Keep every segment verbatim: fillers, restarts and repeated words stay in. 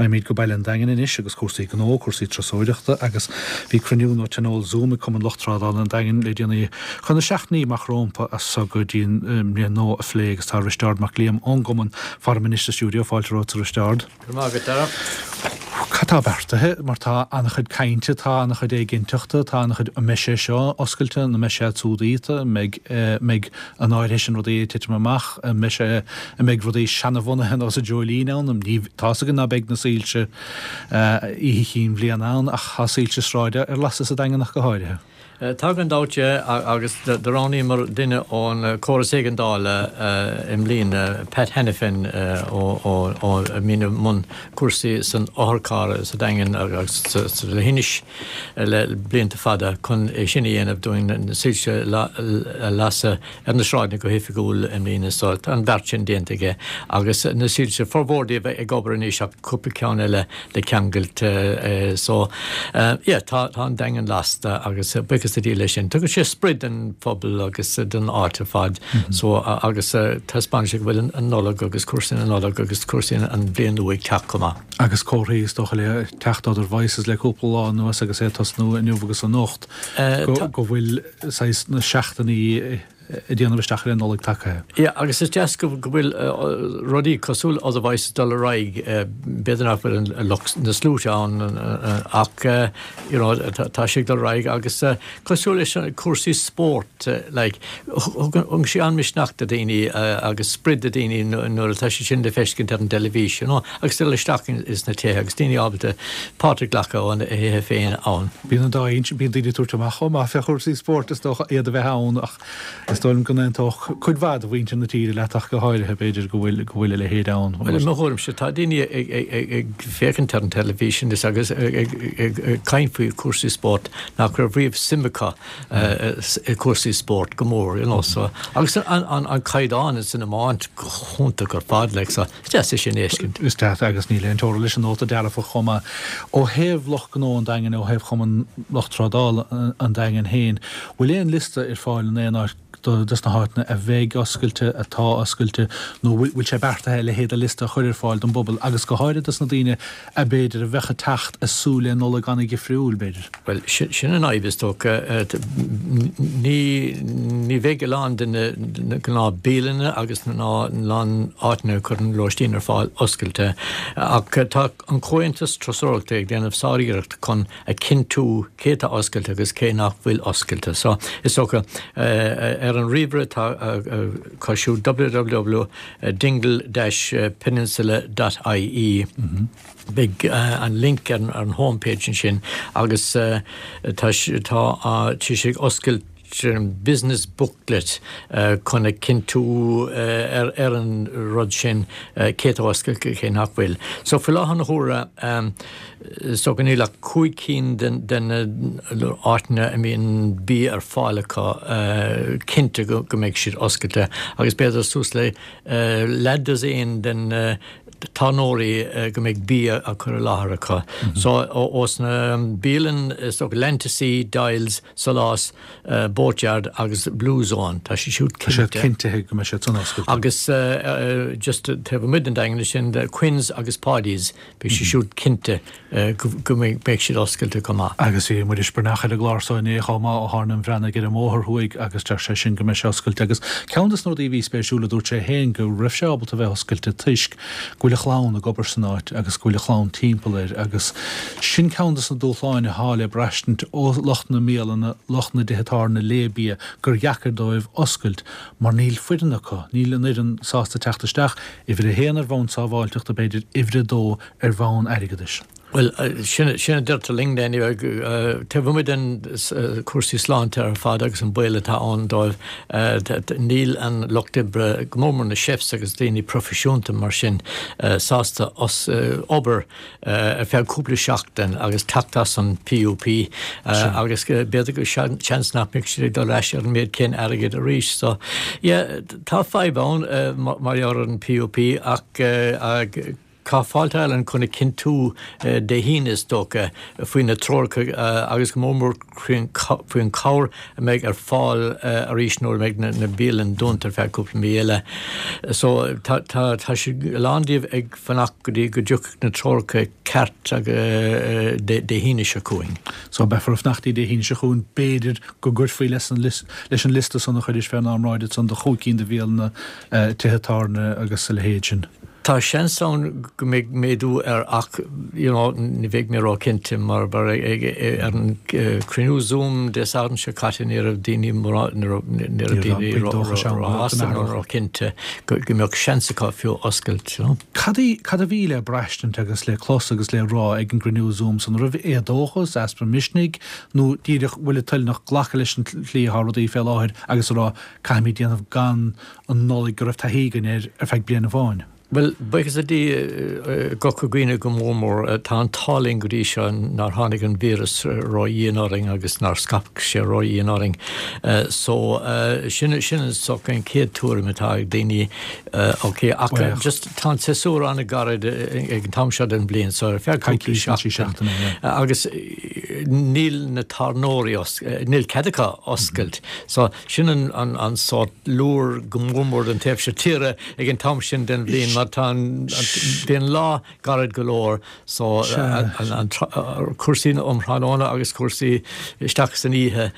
Raghaimid go Baile an Daingin anois agus cúrsaí gnó, cúrsaí turasóireachta agus bhí cruinniú nó tionól Zoom ag Cumann Lucht Trádála an Daingin le déanaí chun na seachtainí amach rompu as seo go dtí an mbliain nua a phlé agus tá Risteárd Mac Liam ón gCumann faram anois sa stiúideo fáilte romhat a Risteárd. Cad tá beartaithe mar tá an-chuid cainte tá an-chuid éiginnteachta tá an-chuid an mbeidh sé seo oscailte nó mbeidh sé siúd mbeidh mbeidh an áirithe sin rudaí titim amach mbeidh sé a mbeidh rudaí seanabhunaithe nó sa dreoilín ann ní tá go ná beidh na soilse oíche chinn bhliana ann ach tá soilse sráide ar lasadh sa Daingean ach go háirithe. Tá gan dabht agus do roghnaíomar duine ón córas éigeandála i mbliana Pat Hannafin ó mí mbun cúrsaí san otharcharr sa Daingean agus sa leithinis le blianta fada chun é sin a dhéanamh dúinn na soilse a lasadh ar na sráideanna go hoifigiúil i mbliana so an beart sin déanta aige agus na soilse formhór díobh ag obair anois ach cúpla ceann eile le ceangailt so yeah, tá tá an Daingean lasta agus buíochas le Dia leis sin. Tugann sé sprid den phobal agus den áit ar fad mm -hmm. so agus taispeánann sé go bhfuil an Nollaig agus cúrsaí na Nollag agus cúrsaí an bhliain nua ag teacht chomh maith. Agus comharthaí is dócha le teacht Other Voices le cúpla lá anuas agus é tosnú inniu agus anocht go bhfuil na seachtainí ag déanamh isteach ar an Nollaig tagtha. Ja, agus is deas go bhfuil rudaí cosúil Other Voices dul ar aghaidh b'fhéidir nach bhfuil na sluaite ann ach you know, tá sé dul ar aghaidh agus cosúil leis an cúrsaí spórt like, thug sé an-mhisneach do daoine agus sprid do daoine nuair atá sé sin le feiscint ar an teilifís, you know, agus dul isteach is na tithe agus daoine ábalta páirt a ghlacadh óna dtithe féin ann. Bíonn an dá bíonn daoine ag tabhairt amach chomh maith fé chúrsaí spóirt is dócha iad a bheith ann ach is dóigh go n-aontódh cuid mhaith de mhuintir na tíre leat ach go háirithe b'fhéidir go bhfuil go bhfuil a leithéid ann. Well mo thuairimse tá daoine ag féachaint ar an teilifís agus ag caint faoi cúrsaí spóirt nach raibh riamh suim acu i cúrsaí spóirt go mór you know, so agus an, an, an caighdeán san iomáint go hiontach ar fad le so is deas é sin a fheiscint. Is deas agus níl aon teora leis an nóta dearfach chomh maith. Ó thaobh lucht gnó an Daingin ó thaobh Chumann Lucht Trádála an Daingin féin, bhfuil aon liosta ar fáil in aon áit dos na háiteanna a bheidh oscailte atá oscailte nó bhfuil sé beartaithe le héad a liosta a chur ar fáil don bpobal agus go háirithe dos na daoine a b'fhéidir a bheadh ag teacht ag súil le Nollaig an-dhifriúil b'fhéidir. Well sin an fhadhb is dócha ní ní bheidh a lán de na gnáthbhialanna agus na lán áiteanna a chuireann lóistín ar fáil oscailte ach tá an Comhaontas Turasóireachta ag déanamh sáriarracht chun a chinntiú cé tá oscailte agus cé nach bhfuil oscailte. So is dócha ar an ríomhaire tá cosúil www dingle-peninsula.ie. Mm -hmm. Beidh uh, an link ar, ar an homepage sin agus uh, tá tá uh, sé ag oscailt business booklet uh, chun a chinntiú uh, ar, ar an rud sin uh, cé tá oscailte cé nach bhfuil. So faoi láthair na huaire um, so go níl ach cúig cinn den, den áiteanna a mbíonn bia ar fáil acu uh, cinnte go, go mbeidh siad oscailte agus b'fhéidir suas le uh, leathdosaen den uh, tábhairní uh, go mbeidh bia á chur i láthair acu. Mm -hmm. So os na bialanna is dócha Lentasí, Dials, Solás, uh, Boatyard agus Blue Zone Tá sé siúd cinnte go mbeidh siad san oscailte. Agus uh, uh, just taobh amuigh den Daingean sin Quinns agus Paddy's beidh sé siúd cinnte uh, go mbeidh siad oscailte go maith. Agus bhí Muiris Breathnach ar an gclár so inné chomh maith ó Thabhairne an Bhreathnaigh ar an mBóthar Thuaidh agus deir sé sin go mbeidh sé oscailte agus ceann des na rudaí a bhí spéisiúil a dúirt sé féin go raibh sé ábalta bheith oscailte toisc go bhfuil a chlann ag obair san áit agus go bhfuil a chlann timpeall air agus sin ceann des na dúshláin atá le braistint ó lucht na mbialanna lucht na dtithe tábhairne le bia gur dheacair dóibh oscailt mar níl foireann acu níl an fhoireann sásta teacht isteach uimhir a haon ar bhonn sábháilteachta b'fhéidir uimhir a dó ar bhonn airgeadais. Well sin sin a deirtear linn taobh amuigh den cúrsaí sláinte ar fad agus an baol atá ann dóibh níl an lucht oibre go mór na chefs agus daoine proifisiúnta mar sin sásta os obair ar feadh cúpla seachtain agus teacht as an PUP agus b'fhéidir go seans nach mbeidh siad ag dul ais ar an méid céanna airgid arís so yeah, tá fadhb ann mar ar an PUP ach Tá Fáilte Ireland chun a chinntiú Dé hAoine is dócha faoi na treoracha agus go mór mór faoin chabhair a mbeidh ar fáil arís nuair a bheidh na bialanna dúnta ar feadh cúpla mí eile. So tá tá tá siad a lán díobh ag fanacht go dtí go dtiocfaidh na treoracha ceart Dé Dé hAoine seo chugainn. So beifear ag fanacht Dé hAoine seo chugainn b'fhéidir go gcuirfí leis an leis an liosta san a chuiris fén am san de chúig cinn de bhialanna tithe tábhairne agus a leithéid sin. Tá seans ann go mbeidh méadú air ach you know ní bheidh mé ró-chinnte mar mar ag ar an cruinniú Zoom Dé Sathairn seo caite ní raibh daoine ní raibh daoine róshásta nó ró-chinnte go mbeadh seans acu fiú oscailt. You know. Cad cad a bhí le braistint agus le clos agus le rá ag an gcruinniú Zoom san raibh éadóchas, easpa misnigh nó díreach bhfuil toilteanach glacadh leis an tslí atá rudaí fé láthair agus a rá caithfimid déanamh gan an Nollaig go raibh taithí againn air ar feadh bliain amháin. Well buíochas le Dia i gCorca Dhuibhne go mór mór tá an t-ádh linn go dtí seo nár tháinig an víreas ró-dhian orainn agus nár scaip sé ró-dhian orainn. So sin sin an soc an chéad tuairim atá ag daoine ok ach just tá an séasúr an-ghairid ag an t-am seo den bhliain so ar feadh cúpla seachtain agus níl na tábhairneoirí níl cead acu oscailt. So sin an an an sórt lúr go mór mór den taobh seo tíre ag an t-am sin den bhliain mar tá an bíonn lá gairid go leor so an cúrsaí um thráthnóna agus cúrsaí isteach san oíche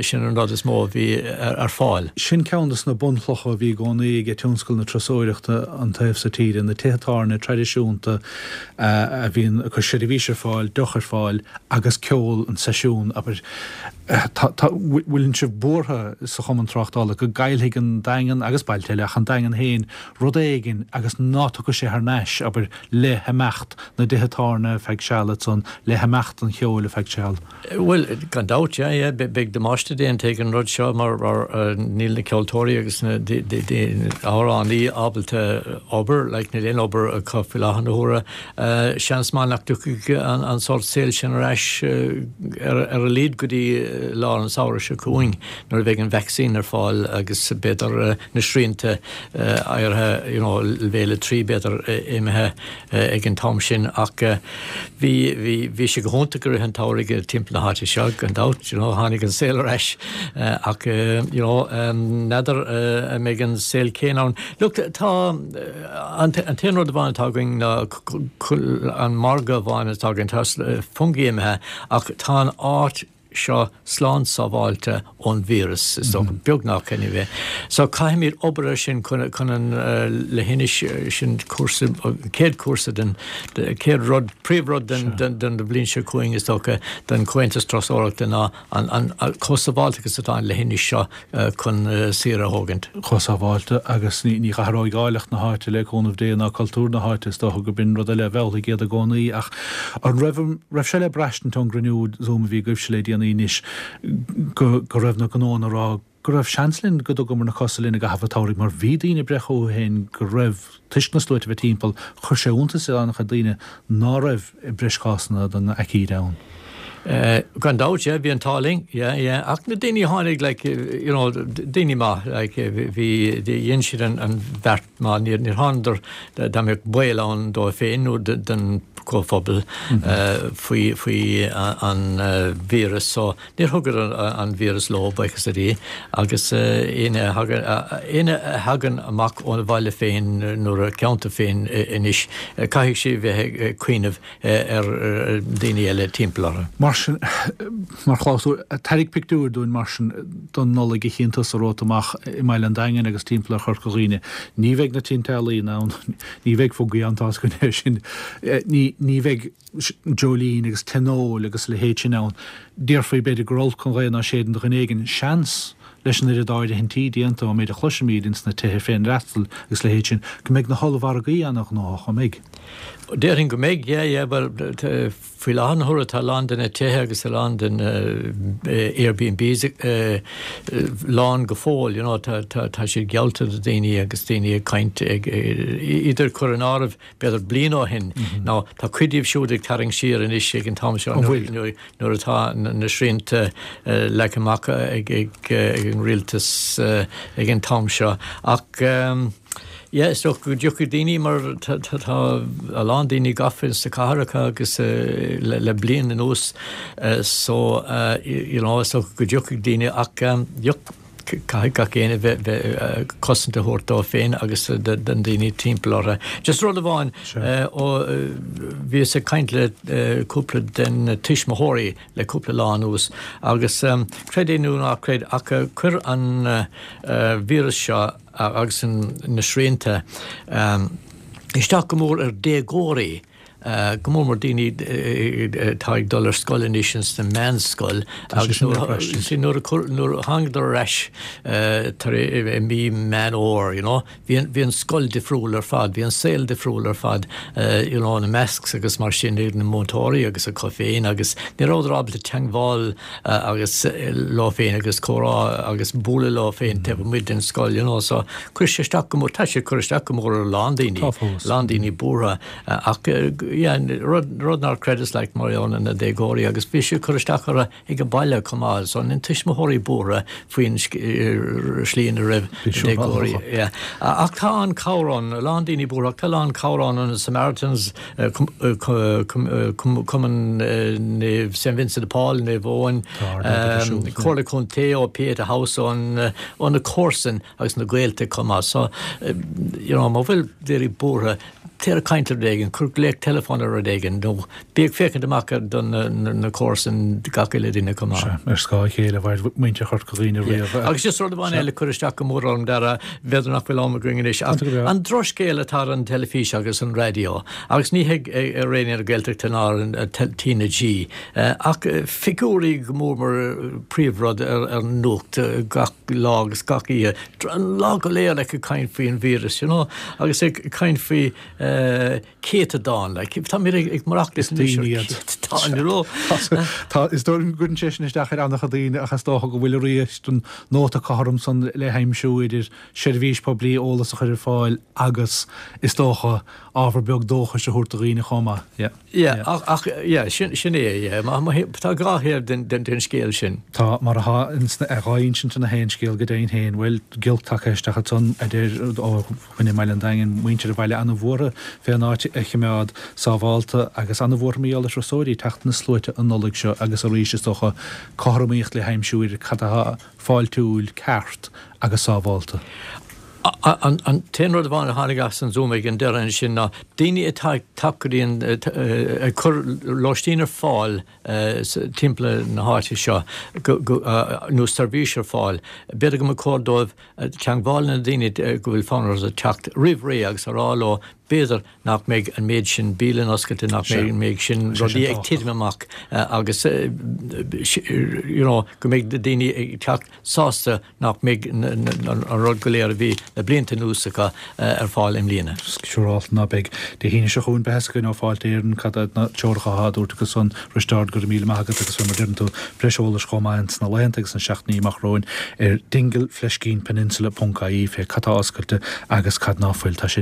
sin an rud is mó a bhí ar fáil. Sin ceann de na bunchlocha a bhí i gcónaí ag tionscal na turasóireachta an taobh seo tíre, na tithe tábhairne traidisiúnta a bhíonn ag cur seirbhís ar fáil, deoch ar fáil agus ceol an seisiún abair bhfuil sibh buartha sa Chumann Tráchtála go gcaillfidh an Daingean agus bailte eile ach an Daingean féin rud éigin agus ná tiocfaidh sé thar n-ais abair le himeacht na dtithe tábhairne feadh seal ansan le himeacht an cheoil feadh seal. Well gan dabht yeah yeah beidh damáiste déanta ag an rud seo mar mar níl na ceoltóirí agus na amhránaí ábalta obair like níl aon obair acu faoi láthair na huaire. Seans maith nach dtiocfaidh an an sórt saoil sin ar ais ar ar a laghad go dtí lár an samhradh seo chugainn nuair a bheidh an vaccine ar fáil agus b'fhéidir na srianta áirithe you know leibhéal a trí b'fhéidir imithe ag an t-am sin ach bhí bhí bhí sé go hiontach i rith an tsamhraidh timpeall na háite seo gan dabht you know tháinig an saol ar ais ach you know n'fheadar an mbeidh an saol céanna ann. Look tá an t-aon rud amháin atá againn ná an margadh amháin atá againn tá Fungie imithe ach tá an áit seo slán sábháilte ón víreas is dócha beagnach anyway. So caithfimid obair ar sin chun chun an leithinis sin cúrsa céad cúrsa den céad rud príomhrud den den den bhliain seo chugainn is dócha den Chomhaontas Turasóireachta ná an an chomh sábháilte agus atá an leithinis seo chun saoire a thógaint. Chomh sábháilte agus ní ní athróidh áilleacht na háite le cúnamh Dé ná cultúr na háite is dócha go b'in rud eile a mheallfaidh iad i gcónaí ach an raibh raibh sé le braistint ón gcruinniú Zoom a bhí agaibhse le déanaí anois go go raibh na gnóanna ag rá go raibh seans linn go dtugamar na cosa linn i gcaitheamh an tsamhraidh mar bhí daoine ag breith chucu féin go raibh toisc na sluaite a bheith timpeall chuir sé iontas ar an-chuid daoine ná raibh breis cásanna den aicíd ann. Uh, gan dabht yeah, bhí an t-ádh linn yeah, yeah. ach na daoine tháinig like, you know, daoine maith like, bhí dhein siad an, an bheart maith níor níor thánadar dá mbeadh baol ann dóibh féin nó den comhphobal mm -hmm. uh, faoi faoi an uh, víreas so níor thugadar an, an víreas leo buíochas le Dia agus éinne uh, éinne a thagann amach ón bhaile féin nó a ceantar féin anois caithfidh sé bheith ag cuimhneamh ar daoine eile timpeall orthu. Mar sin mar chlásúr tarraing pictiúr dúinn mar sin don Nollaig a chíonn tusa romhat amach i mBaile an Daingin agus timpeall ar Chorca Dhuibhne. Ní bheidh na tinte ealaíon ann, ní bheidh Fungie ann tá go sin ní ní bheidh Jolene agus Tionól agus a leithéid sin ann. Déarfaí b'fhéidir gur olc an ghaoth ná séideann do dhuine éigin seans leis an oiread áirithintí déanta ó méid a chloisimid ins na tithe féinfhreastail agus a leithéid sin, go mbeidh na hollmhargaí an-ghnóthach, an mbeidh? Déarfainn go mbeidh, yeah, yeah, well faoi láthair na huaire tá a lán de na tithe agus a lán den Airbnbs lán go fóill, you know, tá tá tá siad geallta do daoine agus daoine ag caint ag idir cur in áirithe b'fhéidir bliain ó shin. Now tá cuid díobh siúd ag tarraingt siar anois ag an t-am seo nuair nuair atá na srianta leagtha amach ag ag ag an rialtas ag an t-am seo ach yeah, is dócha go dtiocfaidh daoine mar tá a lán daoine gafa sna cathracha agus le, le bliain anuas so you know, is dócha go dtiocfaidh daoine ach caithfidh gach éinne bheith bheith cosaint a thabhairt dó féin agus don daoine timpeall orthu. Just rud amháin ó bhíos ag caint le cúpla den tuismitheoirí le cúpla lá anuas agus creid é nó ná creid ach chuir an víreas seo agus na srianta isteach go mór ar déagóirí go mór mór daoine atá ag dul ar scoil anois ins na meánscoil agus nuair a thángadar ar ais tar i mí Meán Fhómhair, you know, bhí bhí an scoil difriúil ar fad, bhí an saol difriúil ar fad, you know, na masks agus mar sin ag na múinteoirí agus acu féin agus ní rabhadar ábalta teangmháil agus leo féin agus comhrá agus bualadh leo féin taobh amuigh den scoil, you know, so chuir sé isteach go mór, tá sé ag cur isteach go mór ar a lán daoine, lán daoine buartha ach yeah, rud, rud nár chreideas like mar gheall ar na déagóirí agus bhí sé ag cur isteach orthu ag an baile chomh maith, so na tuismitheoirí buartha faoin slí ina raibh na déagóirí. Yeah. Ach tá an cabhair ann, a lán daoine buartha, ach tá a lán cabhair ann na Samaritans, Cumann Naomh Saint Vincent de Paul, Naomh Eoin, Comhairle Contae ó Pieta House ón ó na comharsain agus na gaolta chomh maith. So, you know, má bhfuil daoine buartha, téir ag caint le rud éigin, cuir glaoch teileafóin ar rud éigin, nó bí ag féachaint amach do na comharsain gach uile duine chomh maith. Sea, ar scáth a chéile a mhair muintir Chorca Dhuibhne riamh. Agus just rud amháin eile a chuir isteach go mór orm, Dara, b'fhéidir nach bhfuil am againn anois, ach an drochscéal atá ar an teilifís agus an raidió, agus ní hé ar Raidió na Gaeltachta ná ar an T na G, ach figiúirí go mór mar príomhrud ar an nuacht gach lá agus gach oíche, an lá go léir like ag caint faoin víreas, you know, agus ag caint faoi céatadán, like, táimid ag maireachtáil anois ar céatadán, you know. Tá, is dóigh liom go gcuireann sé sin isteach ar an-chuid daoine ach is dócha go bhfuil arís an nóta cothrom san le haimsiú idir seirbhís poiblí eolas a chur ar fáil agus is dócha ábhar beag dóchais a thabhairt do dhaoine chomh maith. Yeah. Yeah, ach, ach, yeah, sin, sin é, yeah. Má, má, tá dhá thaobh den, den, den scéal sin. Tá, mar atá ins na, dhá insint ina haon scéal go deimhin féin. Bhuel, giolc tagtha isteach ansan, a deir ó dhuine i mBaile an Daingin, muintir an bhaile ana-bhuartha fén áit a chimeád sábhálta agus ana-bhuartha mar gheall ar thurasóirí teacht ina sluaite an Nollaig seo agus arís is dócha cothromaíocht le haimsiú idir cad atá fáiltiúil, ceart agus sábhálta. An t-aon rud amháin a tháinig as an Zoom ag an deireadh ansin ná daoine atá ag teacht go dtí an, ag cur lóistín ar fáil timpeall na háite seo nó seirbhís ar fáil, b'fhéidir go mba chóir dóibh teangmháil le na daoine go bhfuil fonn orthu teacht roimh ré agus a rá leo b'fhéidir nach mbeidh an méid sin bialann oscailte, nach mbeidh an méid sin rudaí ag titim amach agus you know go mbeidh daoine ag teacht sásta nach mbeidh an rud go léir a bhí le blianta anuas acu ar fáil i mbliana. Siúráilte ná beidh. Dé hAoine seo chugainn beidh a fhios againn ó Fáilte Éireann cad iad na treoracha atá á dtabhairt acu san. Risteárd, go raibh míle maith agat agus fé mar deireann tú, breis eolais chomh maith ins na laethanta agus na seachtainí amach romhainn ar dingle fleiscín peninsula ponc ie fé cad tá oscailte agus cad ná fuil. Tá sé.